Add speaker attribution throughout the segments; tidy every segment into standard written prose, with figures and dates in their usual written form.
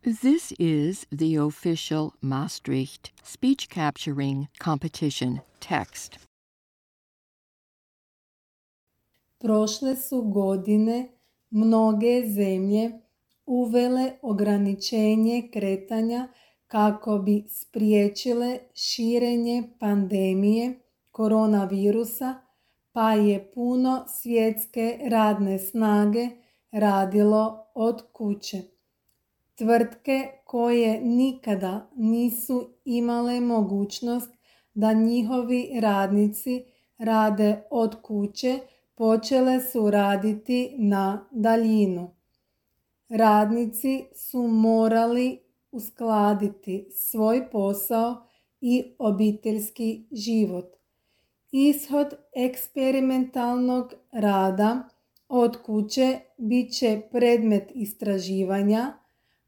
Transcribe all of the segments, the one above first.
Speaker 1: This is the official Maastricht speech capturing competition text.
Speaker 2: Prošle su godine mnoge zemlje uvele ograničenje kretanja kako bi spriječile širenje pandemije koronavirusa, pa je puno svjetske radne snage radilo od kuće. Tvrtke koje nikada nisu imale mogućnost da njihovi radnici rade od kuće počele su raditi na daljinu. Radnici su morali uskladiti svoj posao i obiteljski život. Ishod eksperimentalnog rada od kuće bit će predmet istraživanja,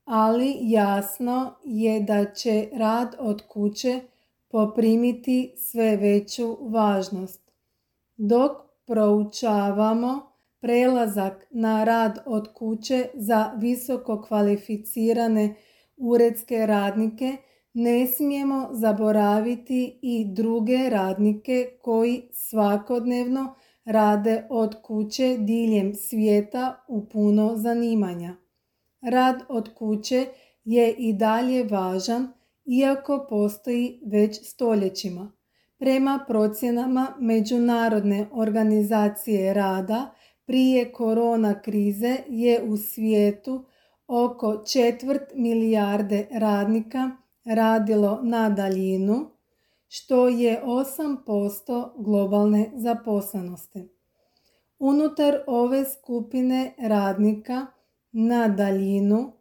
Speaker 2: ali jasno je da će rad od kuće poprimiti sve veću važnost. Dok proučavamo prelazak na rad od kuće za visoko kvalificirane uredske radnike, ne smijemo zaboraviti i druge radnike koji svakodnevno rade od kuće diljem svijeta u puno zanimanja. Rad od kuće je i dalje važan, iako postoji već stoljećima. Prema procjenama Međunarodne organizacije rada, prije korona krize je u svijetu oko 1/4 milijarde radnika radilo na daljinu, što je 8% globalne zaposlenosti. Unutar ove skupine radnika na daljinu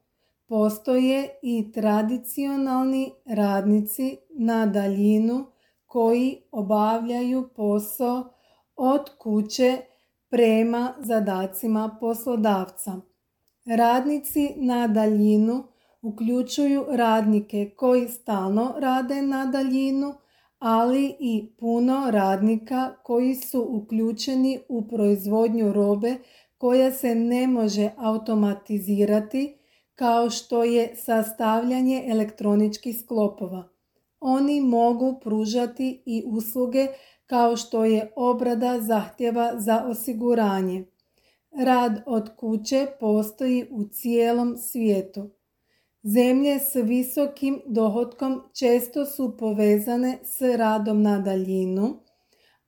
Speaker 2: postoje i tradicionalni radnici na daljinu koji obavljaju posao od kuće prema zadacima poslodavca. Radnici na daljinu uključuju radnike koji stalno rade na daljinu, ali i puno radnika koji su uključeni u proizvodnju robe koja se ne može automatizirati, kao što je sastavljanje elektroničkih sklopova. Oni mogu pružati i usluge kao što je obrada zahtjeva za osiguranje. Rad od kuće postoji u cijelom svijetu. Zemlje s visokim dohotkom često su povezane s radom na daljinu,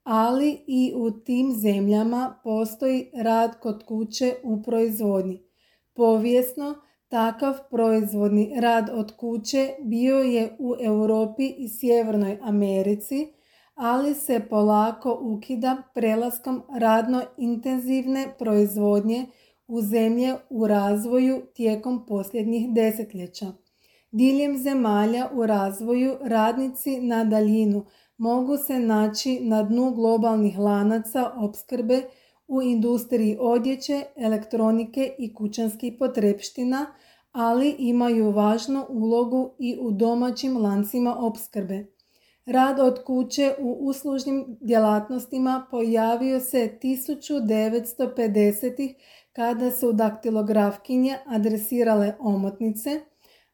Speaker 2: ali i u tim zemljama postoji rad kod kuće u proizvodnji. Povijesno, takav proizvodni rad od kuće bio je u Europi i Sjevernoj Americi, ali se polako ukida prelaskom radno intenzivne proizvodnje u zemlje u razvoju tijekom posljednjih desetljeća. Diljem zemalja u razvoju radnici na daljinu mogu se naći na dnu globalnih lanaca opskrbe u industriji odjeće, elektronike i kućanskih potrepština, ali imaju važnu ulogu i u domaćim lancima opskrbe. Rad od kuće u uslužnim djelatnostima pojavio se 1950-ih kada su daktilografkinje adresirale omotnice,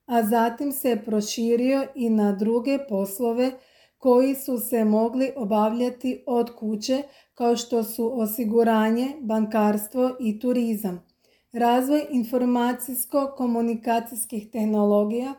Speaker 2: a zatim se proširio i na druge poslove koji su se mogli obavljati od kuće, kao što su osiguranje, bankarstvo i turizam. Razvoj informacijsko-komunikacijskih tehnologija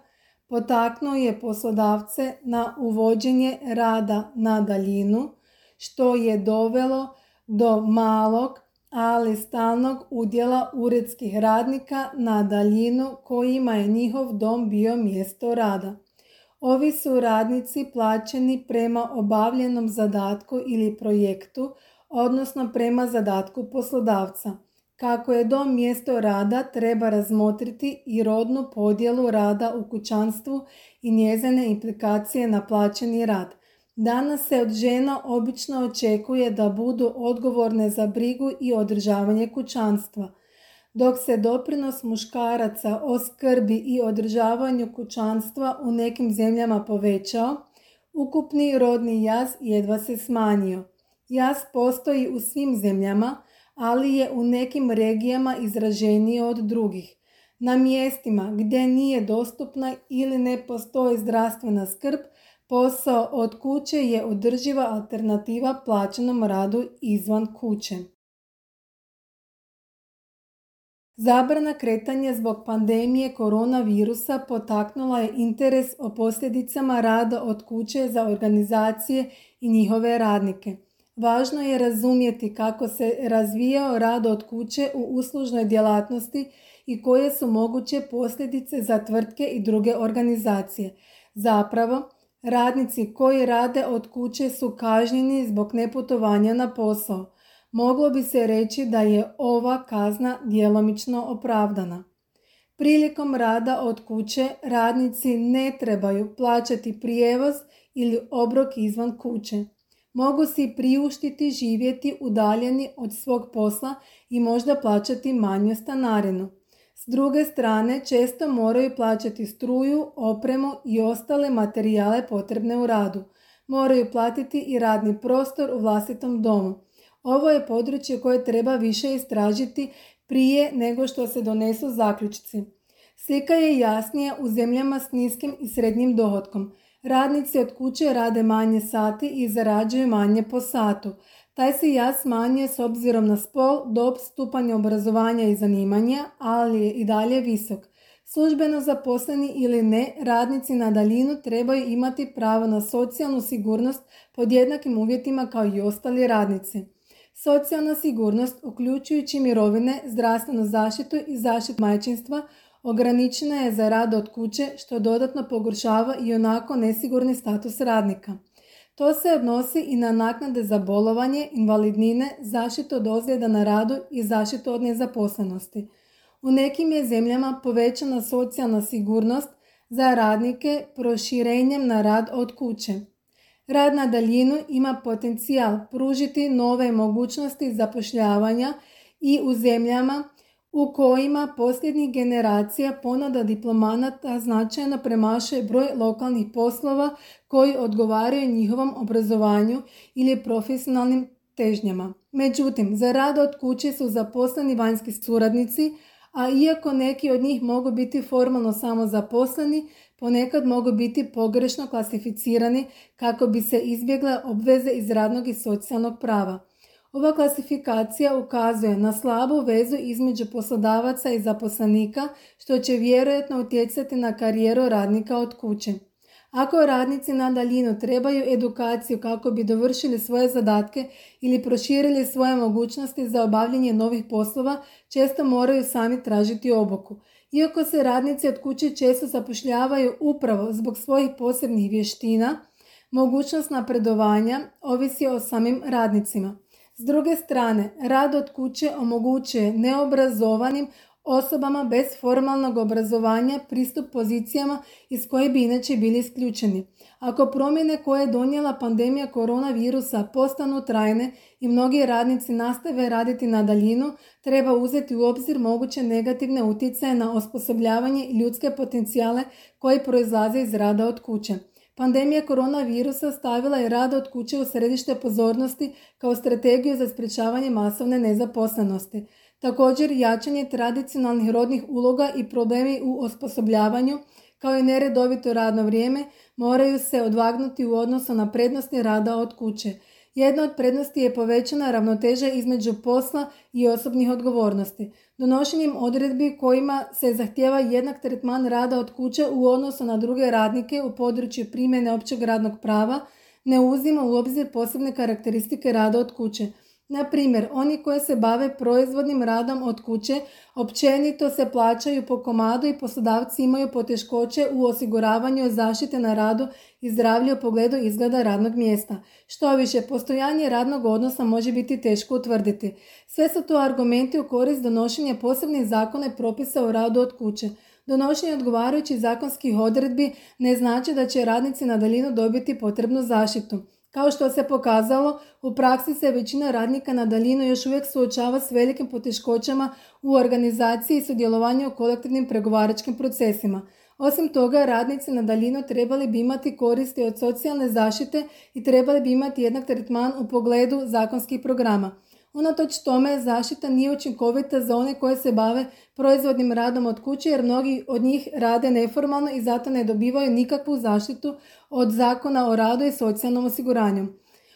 Speaker 2: potaknuo je poslodavce na uvođenje rada na daljinu, što je dovelo do malog, ali stalnog udjela uredskih radnika na daljinu kojima je njihov dom bio mjesto rada. Ovi su radnici plaćeni prema obavljenom zadatku ili projektu, odnosno prema zadatku poslodavca. Kako je dom mjesto rada, treba razmotriti i rodnu podjelu rada u kućanstvu i njezine implikacije na plaćeni rad. Danas se od žena obično očekuje da budu odgovorne za brigu i održavanje kućanstva. Dok se doprinos muškaraca o skrbi i održavanju kućanstva u nekim zemljama povećao, ukupni rodni jaz jedva se smanjio. Jaz postoji u svim zemljama, ali je u nekim regijama izraženiji od drugih. Na mjestima gdje nije dostupna ili ne postoji zdravstvena skrb, posao od kuće je održiva alternativa plaćenom radu izvan kuće. Zabrana kretanja zbog pandemije koronavirusa potaknula je interes o posljedicama rada od kuće za organizacije i njihove radnike. Važno je razumjeti kako se razvijao rad od kuće u uslužnoj djelatnosti i koje su moguće posljedice za tvrtke i druge organizacije. Zapravo, radnici koji rade od kuće su kažnjeni zbog neputovanja na posao. Moglo bi se reći da je ova kazna djelomično opravdana. Prilikom rada od kuće radnici ne trebaju plaćati prijevoz ili obrok izvan kuće. Mogu si priuštiti živjeti udaljeni od svog posla i možda plaćati manju stanarinu. S druge strane, često moraju plaćati struju, opremu i ostale materijale potrebne u radu. Moraju platiti i radni prostor u vlastitom domu. Ovo je područje koje treba više istražiti prije nego što se donesu zaključci. Slika je jasnija u zemljama s niskim i srednjim dohotkom. Radnici od kuće rade manje sati i zarađuju manje po satu. Taj se jaz smanjuje s obzirom na spol, dob, stupanj obrazovanja i zanimanja, ali je i dalje visok. Službeno zaposleni ili ne, radnici na daljinu trebaju imati pravo na socijalnu sigurnost pod jednakim uvjetima kao i ostali radnici. Socijalna sigurnost, uključujući mirovine, zdravstvenu zaštitu i zaštitu majčinstva, ograničena je za rad od kuće, što dodatno pogoršava i onako nesigurni status radnika. To se odnosi i na naknade za bolovanje, invalidnine, zaštitu od ozljeda na radu i zaštitu od nezaposlenosti. U nekim je zemljama povećana socijalna sigurnost za radnike proširenjem na rad od kuće. Rad na daljinu ima potencijal pružiti nove mogućnosti zapošljavanja i u zemljama u kojima posljednjih generacija ponuda diplomanata značajno premašuje broj lokalnih poslova koji odgovaraju njihovom obrazovanju ili profesionalnim težnjama. Međutim, za rad od kuće su zaposleni vanjski suradnici, a iako neki od njih mogu biti formalno samozaposleni, ponekad mogu biti pogrešno klasificirani kako bi se izbjegle obveze iz radnog i socijalnog prava. Ova klasifikacija ukazuje na slabu vezu između poslodavaca i zaposlenika, što će vjerojatno utjecati na karijeru radnika od kuće. Ako radnici na daljinu trebaju edukaciju kako bi dovršili svoje zadatke ili proširili svoje mogućnosti za obavljanje novih poslova, često moraju sami tražiti obuku. Iako se radnici od kuće često zapošljavaju upravo zbog svojih posebnih vještina, mogućnost napredovanja ovisi o samim radnicima. S druge strane, rad od kuće omogućuje neobrazovanim osobama bez formalnog obrazovanja pristup pozicijama iz koje bi inače bili isključeni. Ako promjene koje je donijela pandemija koronavirusa postanu trajne i mnogi radnici nastave raditi na daljinu, treba uzeti u obzir moguće negativne utjecaje na osposobljavanje i ljudske potencijale koji proizlaze iz rada od kuće. Pandemija koronavirusa stavila je rad od kuće u središte pozornosti kao strategiju za sprječavanje masovne nezaposlenosti. Također, jačanje tradicionalnih rodnih uloga i problemi u osposobljavanju, kao i neredovito radno vrijeme, moraju se odvagnuti u odnosu na prednosti rada od kuće. Jedna od prednosti je povećana ravnoteža između posla i osobnih odgovornosti. Donošenjem odredbi kojima se zahtijeva jednak tretman rada od kuće u odnosu na druge radnike u području primjene općeg radnog prava ne uzima u obzir posebne karakteristike rada od kuće. Na primjer, oni koji se bave proizvodnim radom od kuće općenito se plaćaju po komadu i poslodavci imaju poteškoće u osiguravanju zaštite na radu i zdravlja u pogledu izgleda radnog mjesta. Štoviše, postojanje radnog odnosa može biti teško utvrditi. Sve su to argumenti u korist donošenja posebnih zakona i propisa o radu od kuće. Donošenje odgovarajućih zakonskih odredbi ne znači da će radnici na daljinu dobiti potrebnu zaštitu. Kao što se pokazalo, u praksi se većina radnika na daljinu još uvijek suočava s velikim poteškoćama u organizaciji i sudjelovanju u kolektivnim pregovaračkim procesima. Osim toga, radnici na daljinu trebali bi imati koristi od socijalne zaštite i trebali bi imati jednak tretman u pogledu zakonskih programa. Unatoč tome, zaštita nije učinkovita za one koje se bave proizvodnim radom od kuće jer mnogi od njih rade neformalno i zato ne dobivaju nikakvu zaštitu od Zakona o radu i socijalnom osiguranju.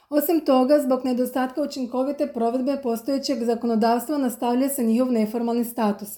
Speaker 2: Osim toga, zbog nedostatka učinkovite provedbe postojećeg zakonodavstva nastavlja se njihov neformalni status.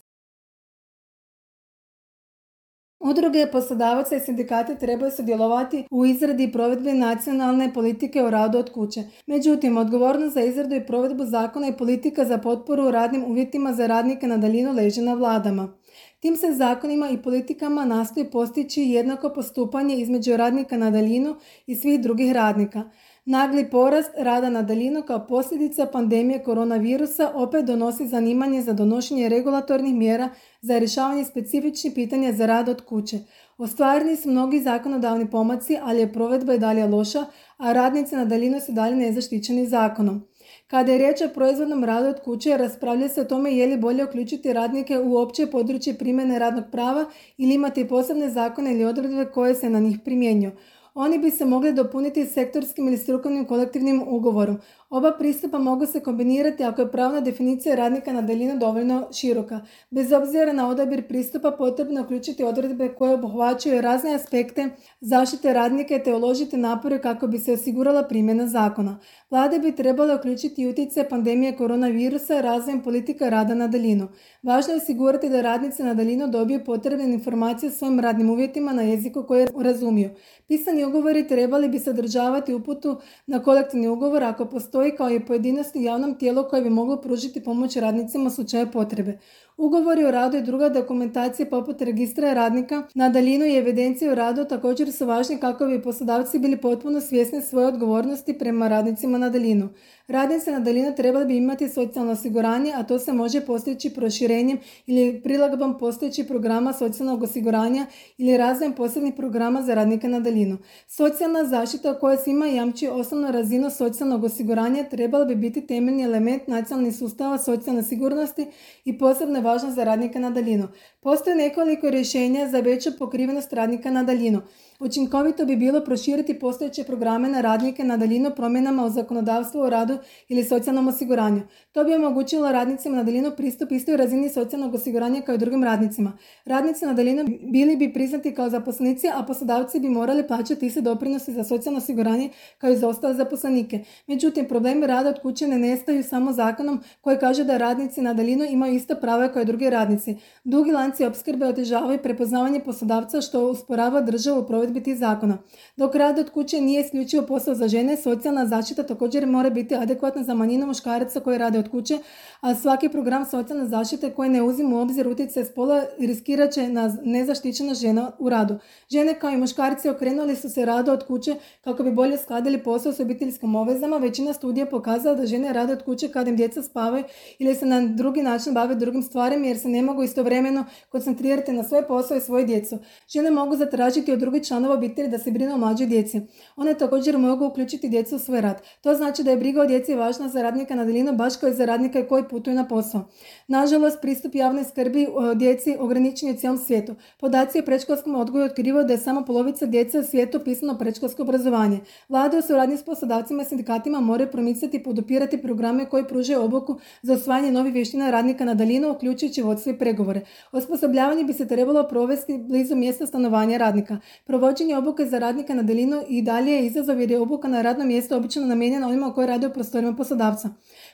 Speaker 2: Udruge poslodavaca i sindikati trebaju sudjelovati u izradi i provedbi nacionalne politike o radu od kuće. Međutim, odgovornost za izradu i provedbu zakona i politika za potporu radnim uvjetima za radnike na daljinu leži na vladama. Tim se zakonima i politikama nastoji postići jednako postupanje između radnika na daljinu i svih drugih radnika. Nagli porast rada na daljinu kao posljedica pandemije koronavirusa opet donosi zanimanje za donošenje regulatornih mjera za rješavanje specifičnih pitanja za rad od kuće. Ostvareni su mnogi zakonodavni pomaci, ali je provedba i dalje loša, a radnici na daljinu su dalje nezaštićeni zakonom. Kada je riječ o proizvodnom radu od kuće, raspravlja se o tome je li bolje uključiti radnike u opće područje primjene radnog prava ili imati posebne zakone ili odredbe koje se na njih primjenjuju. Oni bi se mogli dopuniti sektorskim ili strukovnim kolektivnim ugovorom. Oba pristupa mogu se kombinirati ako je pravna definicija radnika na daljinu dovoljno široka. Bez obzira na odabir pristupa potrebno je uključiti odredbe koje obuhvaćaju razne aspekte zaštite radnika te uložiti napore kako bi se osigurala primjena zakona. Vlade bi trebale uključiti utjecaj pandemije koronavirusa razvojem politika rada na daljinu. Važno je osigurati da radnici na daljinu dobiju potrebne informacije o svojim radnim uvjetima na jeziku koje razumiju. Pisani ugovori trebali bi sadržavati uputu na kolektivni ugovor ako postoji kao i pojedinosti javnom tijelu koje bi moglo pružiti pomoć radnicima u slučaju potrebe. Ugovori o radu i druga dokumentacija poput registra radnika na daljinu i evidencije o radu također su važni kako bi poslodavci bili potpuno svjesni svoje odgovornosti prema radnicima na daljinu. Radnici na daljinu trebali bi imati socijalno osiguranje, a to se može postići proširenjem ili prilagodbom postojećih programa socijalnog osiguranja ili razvojem posebnih programa za radnike na daljinu. Socijalna zaštita koja svima jamči osnovnu razinu socijalnog osiguranja trebala bi biti temeljni element nacionalnih sustava socijalne sigurnosti i posebno je važna za radnike na daljinu. Postoje nekoliko rješenja za veću pokrivenost radnika na daljinu. Učinkovito bi bilo proširiti postojeće programe na radnike na daljinu promjenama u zakonodavstvu o radu ili socijalnom osiguranju. To bi omogućilo radnicima na daljinu pristup istoj razini socijalnog osiguranja kao i drugim radnicima. Radnici na daljinu bili bi priznati kao zaposlenici, a poslodavci bi morali plaćati iste doprinose za socijalno osiguranje kao i za ostale zaposlenike. Međutim, problemi rada od kuće ne nestaju samo zakonom koji kaže da radnici na daljinu imaju ista prava kao i drugi radnici. Dugi lanci opskrbe otežavaju prepoznavanje poslodavca što usporava državu u provedbi tih zakona. Dok rad od kuće nije isključivo posao za žene, socijalna zaštita također mora biti adekvatna za manjinu muškaraca koji rade od kuće, a svaki program socijalne zaštite koji ne uzima u obzir utjecaj spola riskirat će na nezaštićena žena u radu. Žene kao i muškarci okrenuli su se radu od kuće kako bi bolje skladili posao s obiteljskim obvezama. Većina studija pokazala da žene rade od kuće kada im djeca spavaju ili se na drugi način bave drugim stvarima jer se ne mogu istovremeno koncentrirati na svoj posao i svoju djecu. Žene mogu zatražiti od drugih članova obitelji da se brine o mlađoj djeci. One također mogu uključiti djecu u svoj rad. To znači da je briga o djeci važna za radnika na daljinu baš kao i za radnika koji putuju na posao. Nažalost, pristup javnoj skrbi o djeci ograničen je u cijelom svijetu. Podaci o predškolskom odgoju otkrivaju da je samo polovica djece u svijetu upisano predškolsko obrazovanje. Vlade u suradnji s poslodavcima i sindikatima moraju promicati i podupirati programe koji pružaju obuku za osvajanje novih vještina radnika na daljinu, uključujući vodstvo i pregovore. Osposobljavanje bi se trebalo provesti blizu mjesta stanovanja radnika. Provođenje obuke za radnika na daljinu i dalje je izazov jer je obuka na radnom mjestu obično namijenjena onima koji rade u prostorima poslodavca.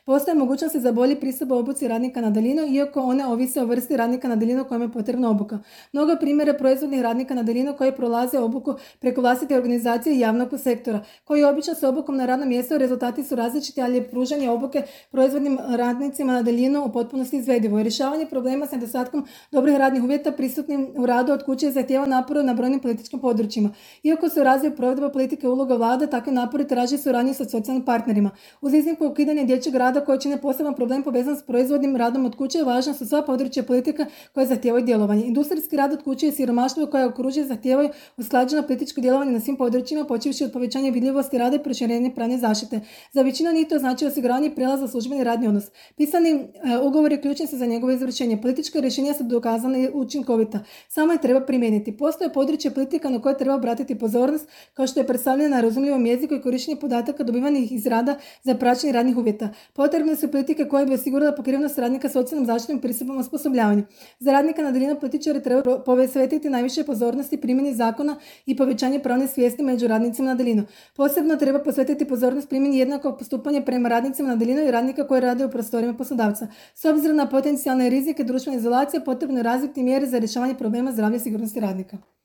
Speaker 2: Postoje mogućnosti za bolji pristup obuci radnika na daljinu, iako one ovise o vrsti radnika na daljinu kojima je potrebna obuka. Mnogo primjera proizvodnih radnika na daljinu koji prolaze obuku preko vlastite organizacije i javnog sektora, koji obično s obukom na radnom mjestu rezultati su različiti, ali je pružanje obuke proizvodnim radnicima na daljinu u potpunosti izvedivo. I rješavanje problema s nedostatkom dobrih radnih uvjeta prisutnim u radu od kuće zahtijeva napore na brojnim političkim područjima. Iako se u razvoju provedba politike uloga vlade, takve napori traži suradnju sa socijalnim partnerima. Uz iznimku ukidanja dječjeg rada koji čine poseban problem povezan s proizvodnim radom od kuće, važna su sva područja politika koje zahtijevaju djelovanje. Industrijski rad od kuće i siromaštvo koje okružuje zahtijevaju usklađeno političko djelovanje na svim područjima, počevši od povećanja vidljivosti rada i proširenja pravne zaštite. Za većinu njih to znači osiguranje i prijelaz za službeni radni odnos. Pisani ugovori ključni su za njegovo izvršenje. Politička rješenja su dokazana i učinkovita. Samo je treba primijeniti. Postoje područje politika na koje treba obratiti pozornost, kao što je predstavljena na razumljivom jeziku i korištenje podataka dobivanih iz rada za praćenje radnih uvjeta. Potrebne su politike koje bi osigurale pokrivenost radnika socijalnom zaštitom i pristupom osposobljavanju. Za radnika na daljinu političari trebaju posvetiti najviše pozornosti primjeni zakona i povećanje pravne svijesti među radnicima na daljinu. Posebno treba posvetiti pozornost primjeni jednakog postupanja prema radnicima na daljinu i radnika koji rade u prostorijama poslodavca. S obzirom na potencijalne rizike društvene izolacije, potrebno je razviti mjere za rješavanje problema zdravlja i sigurnosti radnika.